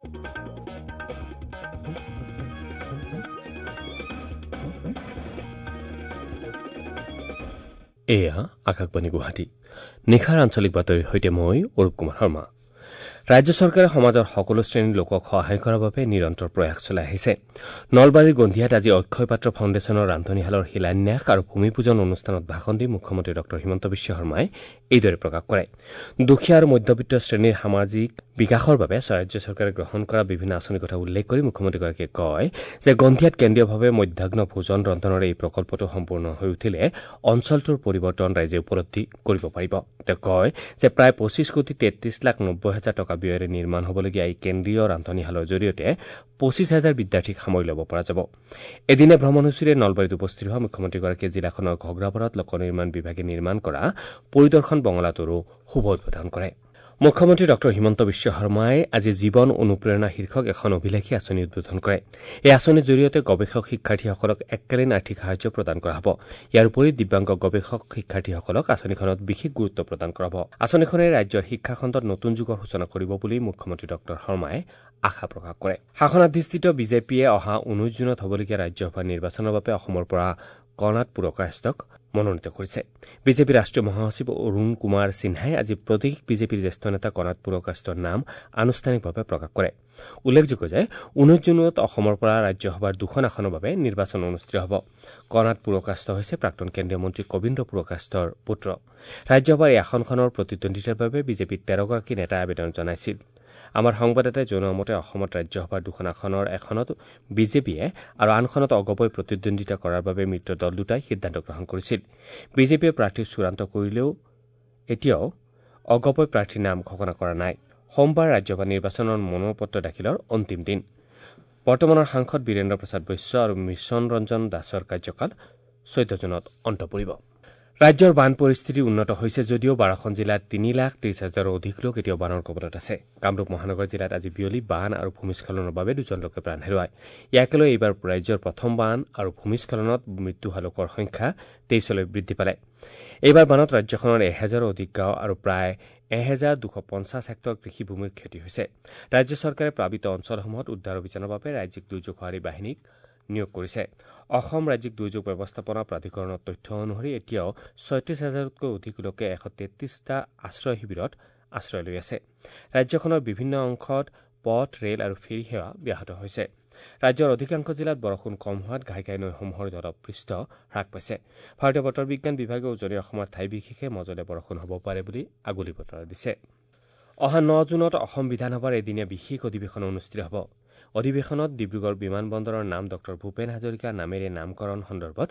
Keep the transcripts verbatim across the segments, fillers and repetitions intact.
এয়া আকাশবাণী গুৱাহাটী। নিশাৰ আঞ্চলিক বাতৰিৰ সৈতে মই অৰূপ কুমাৰ শৰ্মা। ৰাজ্য চৰকাৰে সমাজৰ সকলো শ্ৰেণীৰ লোকক সহায় কৰাৰ বাবে নিৰন্তৰ প্ৰয়াস চলাই আহিছে। নলবাৰীৰ গন্ধিয়াত আজি অক্ষয় পাত্ৰ ফাউণ্ডেশ্যনৰ ৰান্ধনীশালৰ শিলান্যাস আৰু ভূমি পূজন অনুষ্ঠানত ভাষণ দি মুখ্যমন্ত্ৰী ডঃ হিমন্ত বিশ্ব শৰ্মাই এইদৰে প্ৰকাশ কৰে। দুখীয়া আৰু মধ্যবিত্ত শ্ৰেণীৰ সামাজিক বিকাশৰ বাবে ৰাজ্য চৰকাৰে গ্ৰহণ কৰা বিভিন্ন আঁচনিৰ কথা উল্লেখ কৰি মুখ্যমন্ত্ৰীগৰাকীয়ে কয় যে গন্ধিয়াত কেন্দ্ৰীয়ভাৱে মধ্যাহ্ন ভোজন ৰন্ধনৰ এই প্ৰকল্পটো সম্পূৰ্ণ হৈ উঠিলে অঞ্চলটোৰ পৰিৱৰ্তন ৰাইজে উপলব্ধি কৰিব পাৰিব। তেওঁ কয় যে প্ৰায় পঁচিছ কোটি তেত্ৰিছ লাখ নব্বৈ হাজাৰ টকা ব্যয়েৰে নিৰ্মাণ হ'বলগীয়া এই কেন্দ্ৰীয় ৰান্ধনীশালৰ জৰিয়তে পঁচিছ হাজাৰ বিদ্যাৰ্থীক সামৰি ল'ব পৰা যাব। এদিনীয়া ভ্ৰমণসূচীৰে নলবাৰীত উপস্থিত হোৱা মুখ্যমন্ত্ৰীগৰাকীয়ে জিলাখনৰ ঘগ্ৰাপাৰত লোক নিৰ্মাণ বিভাগে নিৰ্মাণ কৰা পৰিদৰ্শন বঙলাটোৰো শুভ উদ্বোধন কৰে। মুখ্যমন্ত্ৰী ডঃ হিমন্ত বিশ্ব শৰ্মাই আজি জীৱন অনুপ্ৰেৰণা শীৰ্ষক এখন অভিলাষী আঁচনি উদ্বোধন কৰে। এই আঁচনিৰ জৰিয়তে গৱেষক শিক্ষাৰ্থীসকলক এককালীন আৰ্থিক সাহায্য প্ৰদান কৰা হ'ব। ইয়াৰ উপৰি দিব্যাংগ গৱেষক শিক্ষাৰ্থীসকলক আঁচনিখনত বিশেষ গুৰুত্ব প্ৰদান কৰা হ'ব। আঁচনিখনে ৰাজ্যৰ শিক্ষাখণ্ডত নতুন যুগৰ সূচনা কৰিব বুলি মুখ্যমন্ত্ৰী ডঃ শৰ্মাই আশা প্ৰকাশ কৰে। শাসনাধিষ্ঠিত বিজেপিয়ে অহা ঊনৈশ জুনত হ'বলগীয়া ৰাজ্যসভাৰ নিৰ্বাচনৰ বাবে অসমৰ পৰা কৰ্ণাট পুৰকায়স্থক মনোনীত কৰিছে। বিজেপিৰ ৰাষ্ট্ৰীয় মহাসচিব অৰুণ কুমাৰ সিনহাই আজি প্ৰদেশ বিজেপিৰ জ্যেষ্ঠ নেতা কৰ্ণাট পুৰকায়স্থৰ নাম আনুষ্ঠানিকভাৱে প্ৰকাশ কৰে। উল্লেখযোগ্য যে ঊনৈশ জুনত অসমৰ পৰা ৰাজ্যসভাৰ দুখন আসনৰ বাবে নিৰ্বাচন অনুষ্ঠিত হ'ব। কৰ্ণাট পুৰকায়স্থ হৈছে প্ৰাক্তন কেন্দ্ৰীয় মন্ত্ৰী কবীন্দ্ৰ পুৰকায়স্থৰ পুত্ৰ। ৰাজ্যসভাৰ এই আসনখনৰ প্ৰতিদ্বন্দ্বিতাৰ বাবে বিজেপিৰ তেৰগৰাকী নেতাই আবেদন জনাইছিল। আমাৰ সংবাদদাতাই জনোৱা মতে অসমত ৰাজ্যসভাৰ দুখন আসনৰ এখনত বিজেপিয়ে আৰু আনখনত অগপই প্ৰতিদ্বন্দ্বিতা কৰাৰ বাবে মিত্ৰ দল দুটাই সিদ্ধান্ত গ্ৰহণ কৰিছিল। বিজেপিয়ে প্ৰাৰ্থী চূড়ান্ত কৰিলেও এতিয়াও অগপই প্ৰাৰ্থীৰ নাম ঘোষণা কৰা নাই। সোমবাৰ ৰাজ্যসভা নিৰ্বাচনৰ মনোনয়নপত্ৰ দাখিলৰ অন্তিম দিন। বৰ্তমানৰ সাংসদ বীৰেন্দ্ৰ প্ৰসাদ বৈশ্য আৰু মিছন ৰঞ্জন দাসৰ কাৰ্যকাল চৈধ্য জুনত অন্ত পৰিব। ৰাজ্যৰ বান পৰিস্থিতি উন্নত হৈছে যদিও বাৰখন জিলাত তিনি লাখ ত্ৰিছ হাজাৰৰো অধিক লোক এতিয়াও বানৰ কবলত আছে। কামৰূপ মহানগৰ জিলাত আজি বিয়লি বান আৰু ভূমিস্খলনৰ বাবে দুজন লোকে প্ৰাণ হেৰুৱায়। ইয়াকে লৈ এইবাৰ ৰাজ্যৰ প্ৰথম বান আৰু ভূমিস্খলনত মৃত্যু হোৱা লোকৰ সংখ্যা তেইছলৈ বৃদ্ধি পালে। এইবাৰ বানত ৰাজ্যখনৰ এহেজাৰো অধিক গাঁও আৰু প্ৰায় এহেজাৰ দুশ পঞ্চাছ হেক্টৰ কৃষিভূমিৰ ক্ষতি হৈছে। ৰাজ্য চৰকাৰে প্লাৱিত অঞ্চলসমূহত উদ্ধাৰ অভিযানৰ বাবে ৰাজ্যিক দুৰ্যোগ সঁহাৰি বাহিনীক নিয়োগ কৰিছে। অসম ৰাজ্যিক দুৰ্যোগ ব্যৱস্থাপনা প্ৰাধিকৰণৰ তথ্য অনুসৰি এতিয়াও ছয়ত্ৰিছ হাজাৰতকৈ অধিক লোকে এশ তেত্ৰিছটা আশ্ৰয় শিবিৰত আশ্ৰয় লৈ আছে। ৰাজ্যখনৰ বিভিন্ন অংশত পথ, ৰেল আৰু ফেৰী সেৱা ব্যাহত হৈছে। ৰাজ্যৰ অধিকাংশ জিলাত বৰষুণ কম হোৱাত ঘাই ঘাই নৈসমূহৰ জলপৃষ্ঠ হ্ৰাস পাইছে। ভাৰতীয় বতৰ বিজ্ঞান বিভাগে উজনি অসমৰ ঠাই বিশেষে মজলীয়া বৰষুণ হ'ব পাৰে বুলি আগলি বতৰা দিছে। অহা ন জুনত অসম বিধানসভাৰ এদিনীয়া বিশেষ অধিৱেশন অনুষ্ঠিত হ'ব। অধিৱেশনত ডিব্ৰুগড় বিমানবন্দৰৰ নাম ডঃ ভূপেন হাজৰিকা নামেৰে নামকৰণ সন্দৰ্ভত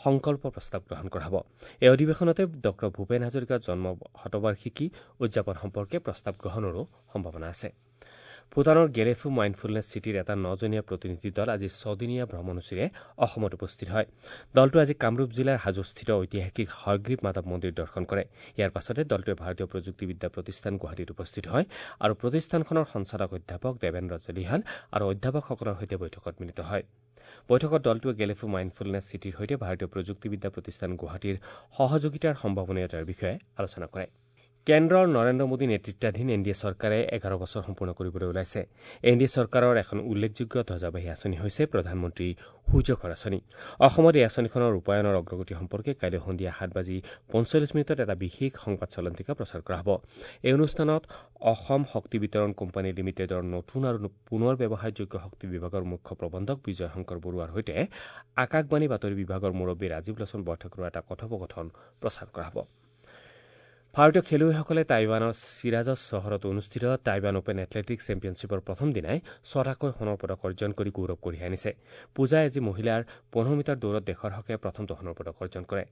সংকল্প প্ৰস্তাৱ গ্ৰহণ কৰা হ'ব। এই অধিৱেশনতে ডঃ ভূপেন হাজৰিকাৰ জন্ম শতবাৰ্ষিকী উদযাপন সম্পৰ্কে প্ৰস্তাৱ গ্ৰহণৰো সম্ভাৱনা আছে। ভূটানৰ গেলেফু মাইণ্ডফুলনেছ চিটিৰ এটা নজনীয়া প্ৰতিনিধি দল আজি ছদিনীয়া ভ্ৰমণসূচীৰে অসমত উপস্থিত হয়। দলটোৱে আজি কামৰূপ জিলাৰ হাজোস্থিত ঐতিহাসিক হয়গ্ৰীৱ মাধৱ মন্দিৰ দৰ্শন কৰে। ইয়াৰ পাছতে দলটোৱে ভাৰতীয় প্ৰযুক্তিবিদ্যা প্ৰতিষ্ঠান গুৱাহাটীত উপস্থিত হয় আৰু প্ৰতিষ্ঠানখনৰ সঞ্চালক অধ্যাপক দেৱেন্দ্ৰ জলিহান আৰু অধ্যাপকসকলৰ সৈতে বৈঠকত মিলিত হয়। বৈঠকত দলটোৱে গেলেফু মাইণ্ডফুলনেছ চিটিৰ সৈতে ভাৰতীয় প্ৰযুক্তিবিদ্যা প্ৰতিষ্ঠান গুৱাহাটীৰ সহযোগিতাৰ সম্ভাৱনীয়তাৰ বিষয়ে আলোচনা কৰে। কেন্দ্ৰৰ নৰেন্দ্ৰ মোদী নেতৃত্বাধীন এন ডি এ চৰকাৰে এঘাৰ বছৰ সম্পূৰ্ণ কৰিবলৈ ওলাইছে। এন ডি এ চৰকাৰৰ এখন উল্লেখযোগ্য ধ্বজাবাহী আঁচনি হৈছে প্ৰধানমন্ত্ৰী সূৰ্যঘৰ আঁচনি। অসমত এই আঁচনিখনৰ ৰূপায়ণৰ অগ্ৰগতি সম্পৰ্কে কাইলৈ সন্ধিয়া সাত বাজি পঞ্চল্লিছ মিনিটত এটা বিশেষ সংবাদ চলন্তিকা প্ৰচাৰ কৰা হ'ব। এই অনুষ্ঠানত অসম শক্তি বিতৰণ কোম্পানী লিমিটেডৰ নতুন আৰু পুনৰ ব্যৱহাৰযোগ্য শক্তি বিভাগৰ মুখ্য প্ৰবন্ধক বিজয় শংকৰ বৰুৱাৰ সৈতে আকাশবাণী বাতৰি বিভাগৰ মুৰব্বী ৰাজীৱ লোচন বৰঠাকুৰৰ এটা কথোপকথন প্ৰচাৰ কৰা হ'ব। ভাৰতীয় খেলুৱৈসকলে টাইৱানৰ চিৰাজছ চহৰত অনুষ্ঠিত টাইৱান অপেন এথলেটিকছ চেম্পিয়নশ্বিপৰ প্ৰথম দিনাই ছটাকৈ সোণৰ পদক অৰ্জন কৰি গৌৰৱ কঢ়িয়াই আনিছে। পূজাই আজি মহিলাৰ পোন্ধৰ মিটাৰ দৌৰত দেশৰ হকে প্ৰথমটো সোণৰ পদক অৰ্জন কৰে।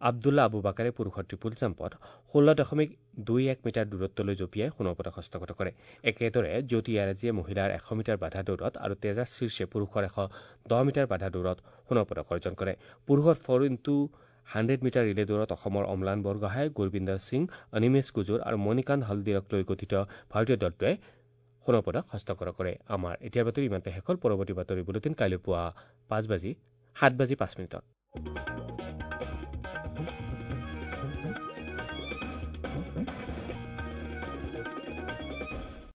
আব্দুল্লা আবু বাকাৰে পুৰুষৰ ট্ৰিপুল জাম্পত ষোল্ল দশমিক দুই এক মিটাৰ দূৰত্বলৈ জঁপিয়াই সোণৰ পদক হস্তগত কৰে। একেদৰে জ্যোতি য়াৰাজীয়ে মহিলাৰ এশ মিটাৰ বাধা দৌৰত আৰু তেজাছ শীৰ্ষে পুৰুষৰ এশ দহ মিটাৰ বাধা দৌৰত সোণৰ পদক অৰ্জন কৰে। পুৰুষৰ four into hundred metre relay দৌৰত অসমৰ অম্লান বৰগোহাঁই, গুৰবিন্দৰ সিং, অনিমেষ গুজৰ আৰু মণিকান্ত হলদিৰক লৈ গঠিত ভাৰতীয় দলটোৱে সোণৰ পদক হস্তগত কৰে। আমাৰ এতিয়াৰ বাতৰি ইমানতে শেষ হ'ল। পৰৱৰ্তী বাতৰি বুলেটিন কাইলৈ পুৱা পাঁচ বাজি সাত বাজি পাঁচ মিনিটত।